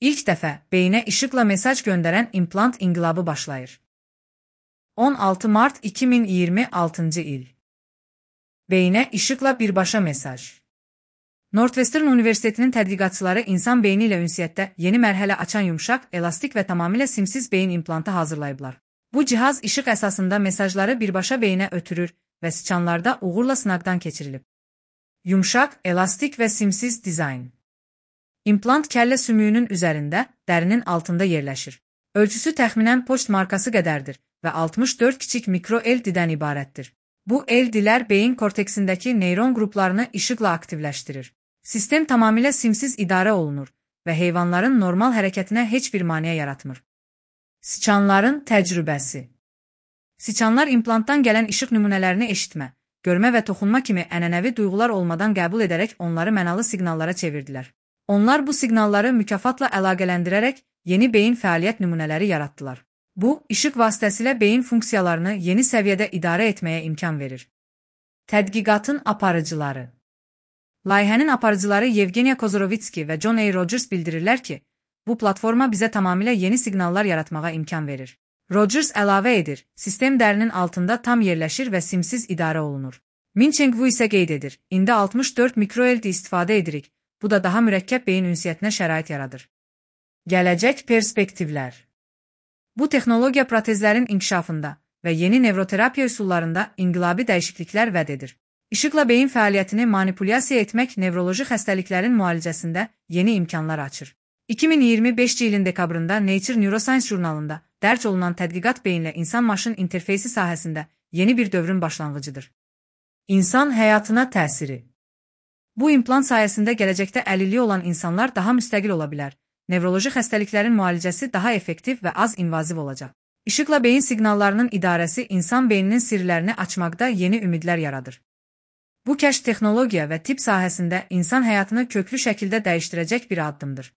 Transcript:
İlk dəfə beyinə işıqla mesaj göndərən implant inqilabı başlayır. 16 Mart 2026 il. Beyinə işıqla birbaşa mesaj. Northwestern Universitetinin tədqiqatçıları insan beyni ilə ünsiyyətdə yeni mərhələ açan yumşaq, elastik və tamamilə simsiz beyin implantı hazırlayıblar. Bu cihaz işıq əsasında mesajları birbaşa beyinə ötürür və siçanlarda uğurla sınaqdan keçirilib. Yumşaq, elastik və simsiz dizayn. İmplant kəllə sümüyünün üzərində, dərinin altında yerləşir. Ölçüsü təxminən poçt markası qədərdir və 64 kiçik mikro LD-dən ibarətdir. Bu LD-lər beyin korteksindəki neyron qruplarını işıqla aktivləşdirir. Sistem tamamilə simsiz idarə olunur və heyvanların normal hərəkətinə heç bir maneə yaratmır. Siçanların təcrübəsi. Siçanlar implantdan gələn işıq nümunələrini eşitmə, görmə və toxunma kimi ənənəvi duyğular olmadan qəbul edərək onları mənalı siqnallara çevirdilər. Onlar bu siqnalları mükafatla əlaqələndirərək yeni beyin fəaliyyət nümunələri yaratdılar. Bu, işıq vasitəsilə beyin funksiyalarını yeni səviyyədə idarə etməyə imkan verir. Tədqiqatın aparıcıları. Layihənin aparıcıları Yevgeniya Kozorovitski və John A. Rogers bildirirlər ki, bu platforma bizə tamamilə yeni siqnallar yaratmağa imkan verir. Rogers əlavə edir, sistem dərinin altında tam yerləşir və simsiz idarə olunur. Mincheng Wu isə qeyd edir, indi 64 mikro LD istifadə edirik, bu da daha mürəkkəb beyin ünsiyyətinə şərait yaradır. Gələcək perspektivlər. Bu texnologiya protezlərin inkişafında və yeni nevroterapiya üsullarında inqilabi dəyişikliklər vəd edir. İşıqla beyin fəaliyyətini manipulyasiya etmək nevroloji xəstəliklərin müalicəsində yeni imkanlar açır. 2025 ilin dekabrında Nature Neuroscience jurnalında dərc olunan tədqiqat beyinlə insan-maşın interfeysi sahəsində yeni bir dövrün başlanğıcıdır. İnsan həyatına təsiri. Bu implant sayəsində gələcəkdə əlilliyi olan insanlar daha müstəqil ola bilər. Nevroloji xəstəliklərin müalicəsi daha effektiv və az invaziv olacaq. İşıqla beyin siqnallarının idarəsi insan beyninin sirlərini açmaqda yeni ümidlər yaradır. Bu kəşf texnologiya və tibb sahəsində insan həyatını köklü şəkildə dəyişdirəcək bir addımdır.